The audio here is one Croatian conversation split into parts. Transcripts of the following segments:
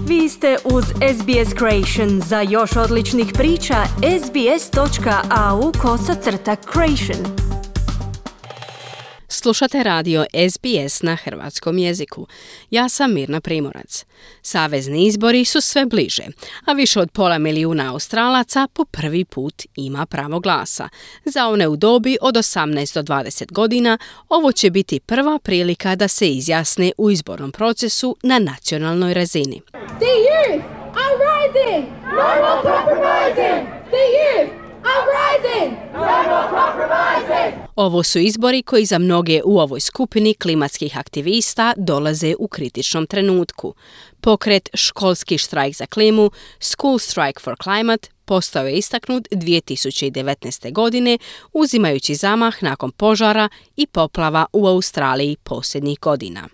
Vi ste uz SBS Creation. Za još odličnih priča, sbs.au/creation. Slušate radio SBS na hrvatskom jeziku. Ja sam Mirna Primorac. Savezni izbori su sve bliže, a više od 500,000 Australaca po prvi put ima pravo glasa. Za one u dobi od 18 do 20 godina ovo će biti prva prilika da se izjasne u izbornom procesu na nacionalnoj razini. The youth are rising! No more compromising! The youth are rising! No more compromising! Ovo su izbori koji za mnoge u ovoj skupini klimatskih aktivista dolaze u kritičnom trenutku. Pokret Školski štrajk za klimu, School Strike for Climate, postao je istaknut 2019. godine, uzimajući zamah nakon požara i poplava u Australiji posljednjih godina.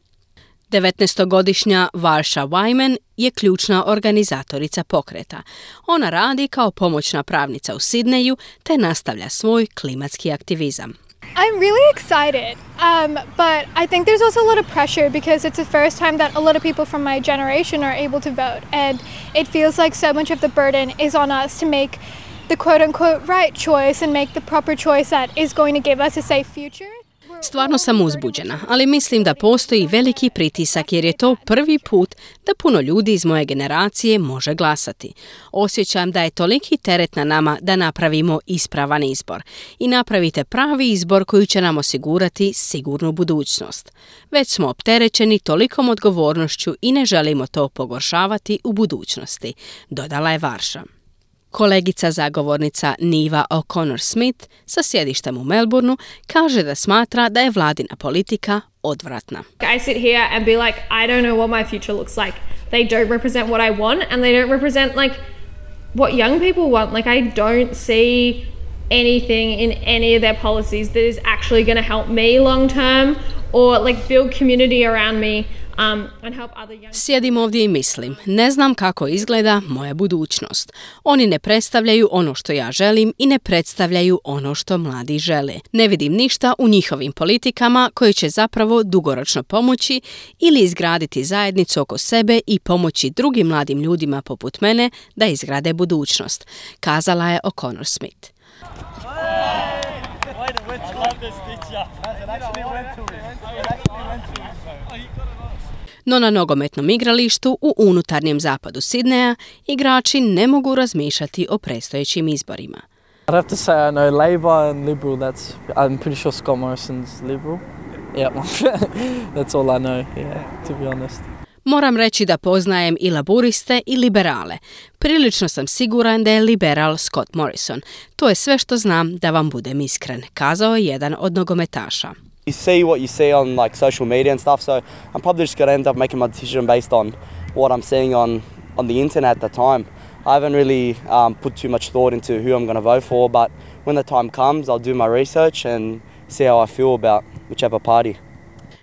19-godišnja Varsha Wyman je ključna organizatorica pokreta. Ona radi kao pomoćna pravnica u Sidneju te nastavlja svoj klimatski aktivizam. I'm really excited, but I think there's also a lot of pressure because it's the first time that a lot of people from my generation are able to vote, and it feels like so much of the burden is on us to make the quote-unquote right choice and make the proper choice that is going to give us a safe future. Stvarno sam uzbuđena, ali mislim da postoji veliki pritisak jer je to prvi put da puno ljudi iz moje generacije može glasati. Osjećam da je toliki teret na nama da napravimo ispravan izbor. I napravite pravi izbor koji će nam osigurati sigurnu budućnost. Već smo opterećeni tolikom odgovornošću i ne želimo to pogoršavati u budućnosti, dodala je Varsha. Kolegica zagovornica Niva O'Connor-Smith sa sjedištem u Melbourneu kaže da smatra da je vladina politika odvratna. I sit here and be like, I don't know what my future looks like. They don't represent what I want and they don't represent like what young people want. Like I don't see anything in any of their policies that is actually going to help me long term or like build community around me. Sjedim ovdje i mislim, ne znam kako izgleda moja budućnost. Oni ne predstavljaju ono što ja želim i ne predstavljaju ono što mladi žele. Ne vidim ništa u njihovim politikama koje će zapravo dugoročno pomoći ili izgraditi zajednicu oko sebe i pomoći drugim mladim ljudima poput mene da izgrade budućnost, kazala je O'Connor-Smith. No na nogometnom igralištu u unutarnjem zapadu Sidneja igrači ne mogu razmišljati o predstojećim izborima. I'd have to say I know Labour and Liberal. I'm pretty sure Scott Morrison's Liberal. Yeah, that's all I know, to be honest. Moram reći da poznajem i laburiste i liberale. Prilično sam siguran da je liberal Scott Morrison. To je sve što znam, da vam budem iskren, kazao je jedan od nogometaša. You see what you see on like social media and stuff, so I'm probably just going to end up making my decision based on what I'm seeing on the internet at the time. I haven't really put too much thought into who I'm going to vote for, but when the time comes, I'll do my research and see how I feel about whichever party.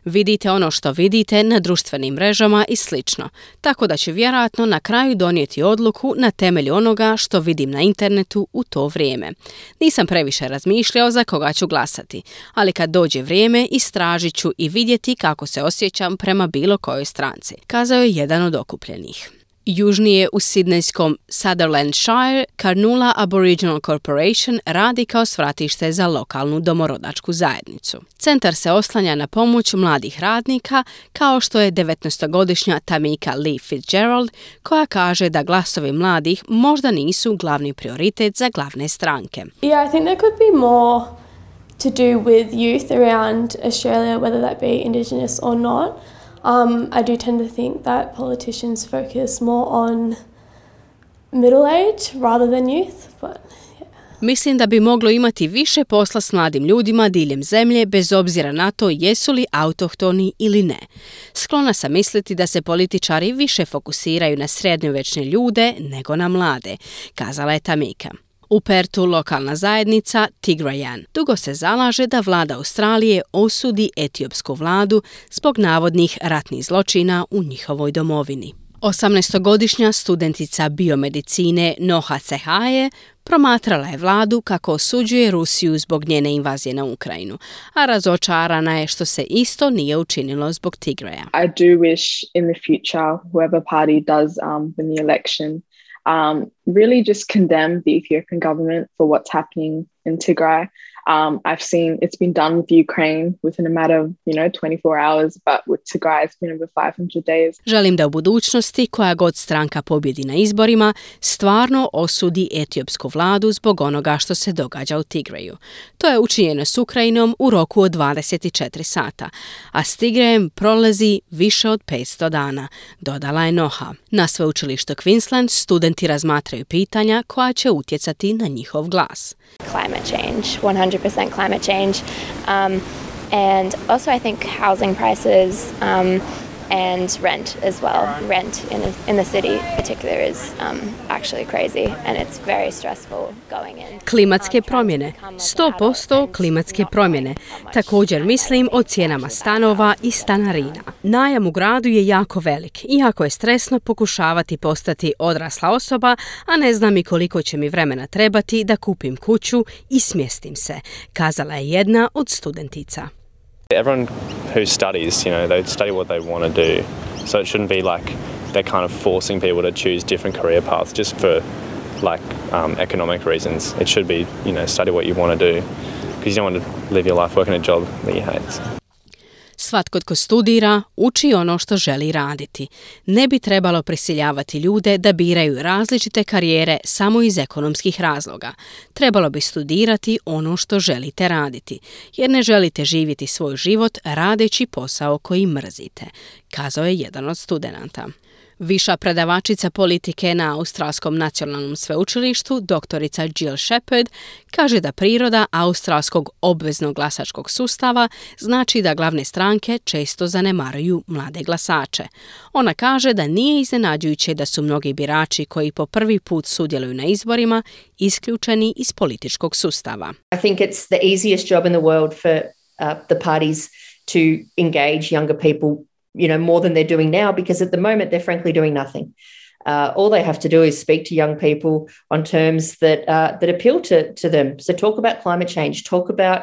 Vidite ono što vidite na društvenim mrežama i slično, tako da ću vjerojatno na kraju donijeti odluku na temelju onoga što vidim na internetu u to vrijeme. Nisam previše razmišljao za koga ću glasati, ali kad dođe vrijeme istražit ću i vidjeti kako se osjećam prema bilo kojoj stranci, kazao je jedan od okupljenih. Južnije u sidnejskom Sutherlandshire, Carnoola Aboriginal Corporation radi kao svratište za lokalnu domorodačku zajednicu. Centar se oslanja na pomoć mladih radnika, kao što je 19-godišnja Tamika Lee Fitzgerald, koja kaže da glasovi mladih možda nisu glavni prioritet za glavne stranke. Yeah, I think there could be more to do with youth around Australia, whether that be Indigenous or not. I do tend to think that politicians focus more on middle age rather than youth, but yeah. Mislim da bi moglo imati više posla s mladim ljudima diljem zemlje bez obzira na to jesu li autohtoni ili ne. Sklona sam misliti da se političari više fokusiraju na srednjovječne ljude nego na mlade, kazala je Tamika. U Pertu lokalna zajednica Tigrayan dugo se zalaže da vlada Australije osudi etiopsku vladu zbog navodnih ratnih zločina u njihovoj domovini. 18-godišnja studentica biomedicine Noha Cehaye promatrala je vladu kako osuđuje Rusiju zbog njene invazije na Ukrajinu, a razočarana je što se isto nije učinilo zbog Tigraja. I do wish in the future whoever party does win the election really just condemn the Ethiopian government for what's happening in Tigray. I've seen it's been done with Ukraine within a matter of, 24 hours, but with Tigray it's been over 500 days. Želim da u budućnosti koja god stranka pobjedi na izborima stvarno osudi etiopsku vladu zbog onoga što se događa u Tigraju. To je učinjeno s Ukrajinom u roku od 24 sata, a s Tigrajem prolazi više od 500 dana, dodala je Noha. Na sveučilištu Queensland studenti razmatraju pitanja koja će utjecati na njihov glas. Climate change, 100% climate change, and also I think housing prices and rent as well. Rent in the city particular is actually crazy and it's very stressful going in. Klimatske promjene, 100% klimatske promjene. Također mislim o cijenama stanova i stanarina. Najam u gradu je jako velik, iako je stresno pokušavati postati odrasla osoba, a ne znam i koliko će mi vremena trebati da kupim kuću i smjestim se, kazala je jedna od studentica. Everyone who studies, they study what they want to do. So it shouldn't be like they're kind of forcing people to choose different career paths just for economic reasons. It should be, study what you want to do because you don't want to live your life working a job that you hate. Svatko tko studira, uči ono što želi raditi. Ne bi trebalo prisiljavati ljude da biraju različite karijere samo iz ekonomskih razloga. Trebalo bi studirati ono što želite raditi, jer ne želite živjeti svoj život radeći posao koji mrzite, kazao je jedan od studenata. Viša predavačica politike na Australskom nacionalnom sveučilištu, doktorica Jill Shepherd, kaže da priroda australskog obveznog glasačkog sustava znači da glavne stranke često zanemaruju mlade glasače. Ona kaže da nije iznenađujuće da su mnogi birači koji po prvi put sudjeluju na izborima isključeni iz političkog sustava. I think it's the easiest job in the world for the parties to engage younger people more than they're doing now, because at the moment they're frankly doing nothing. All they have to do is speak to young people on terms that appeal to them. So talk about climate change, talk about...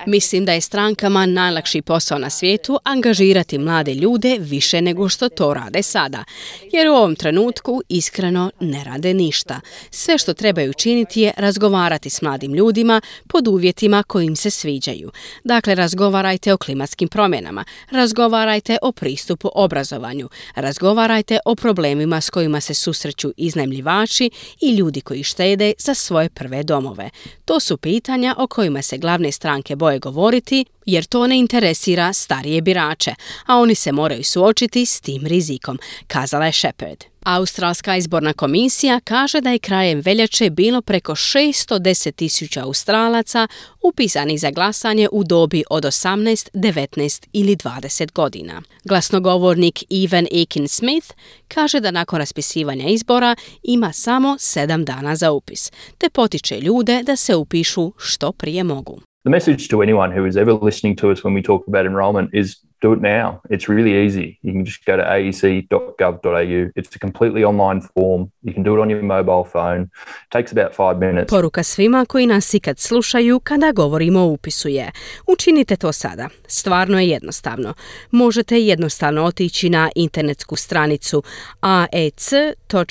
Mislim da je strankama najlakši posao na svijetu angažirati mlade ljude više nego što to rade sada, jer u ovom trenutku iskreno ne rade ništa. Sve što trebaju činiti je razgovarati s mladim ljudima pod uvjetima koji im se sviđaju. Dakle, razgovarajte o klimatskim promjenama, razgovarajte o pristupu obrazovanju, razgovarajte o problemima s kojima se susreću iznajmljivači i ljudi koji štede za svoje prve domove. To su pitanja o kojima se glavne stranke boje govoriti, jer to ne interesira starije birače, a oni se moraju suočiti s tim rizikom, kazala je Shepherd. Australska izborna komisija kaže da je krajem veljače bilo preko 610,000 Australaca upisanih za glasanje u dobi od 18, 19 ili 20 godina. Glasnogovornik Evan Aiken-Smith kaže da nakon raspisivanja izbora ima samo 7 dana za upis, te potiče ljude da se upišu što prije mogu. The message to anyone who is ever listening to us when we talk about enrolment is do it now. It's really easy. You can just go to aec.gov.au. It's a completely online form. You can do it on your mobile phone. It takes about 5 minutes. Poruka svima koji nas ikad slušaju kada govorimo o upisu je: učinite to sada. Stvarno je jednostavno. Možete jednostavno otići na internetsku stranicu aec.com.gov.au.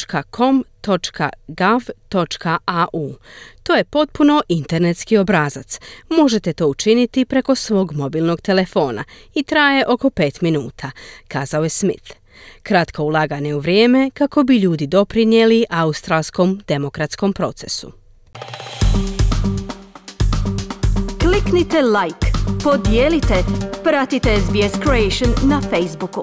To je potpuno internetski obrazac. Možete to učiniti preko svog mobilnog telefona i traje oko 5 minuta, kazao je Smith. Kratko ulaganje u vrijeme kako bi ljudi doprinijeli australskom demokratskom procesu. Kliknite like, podijelite, pratite SBS Creation na Facebooku.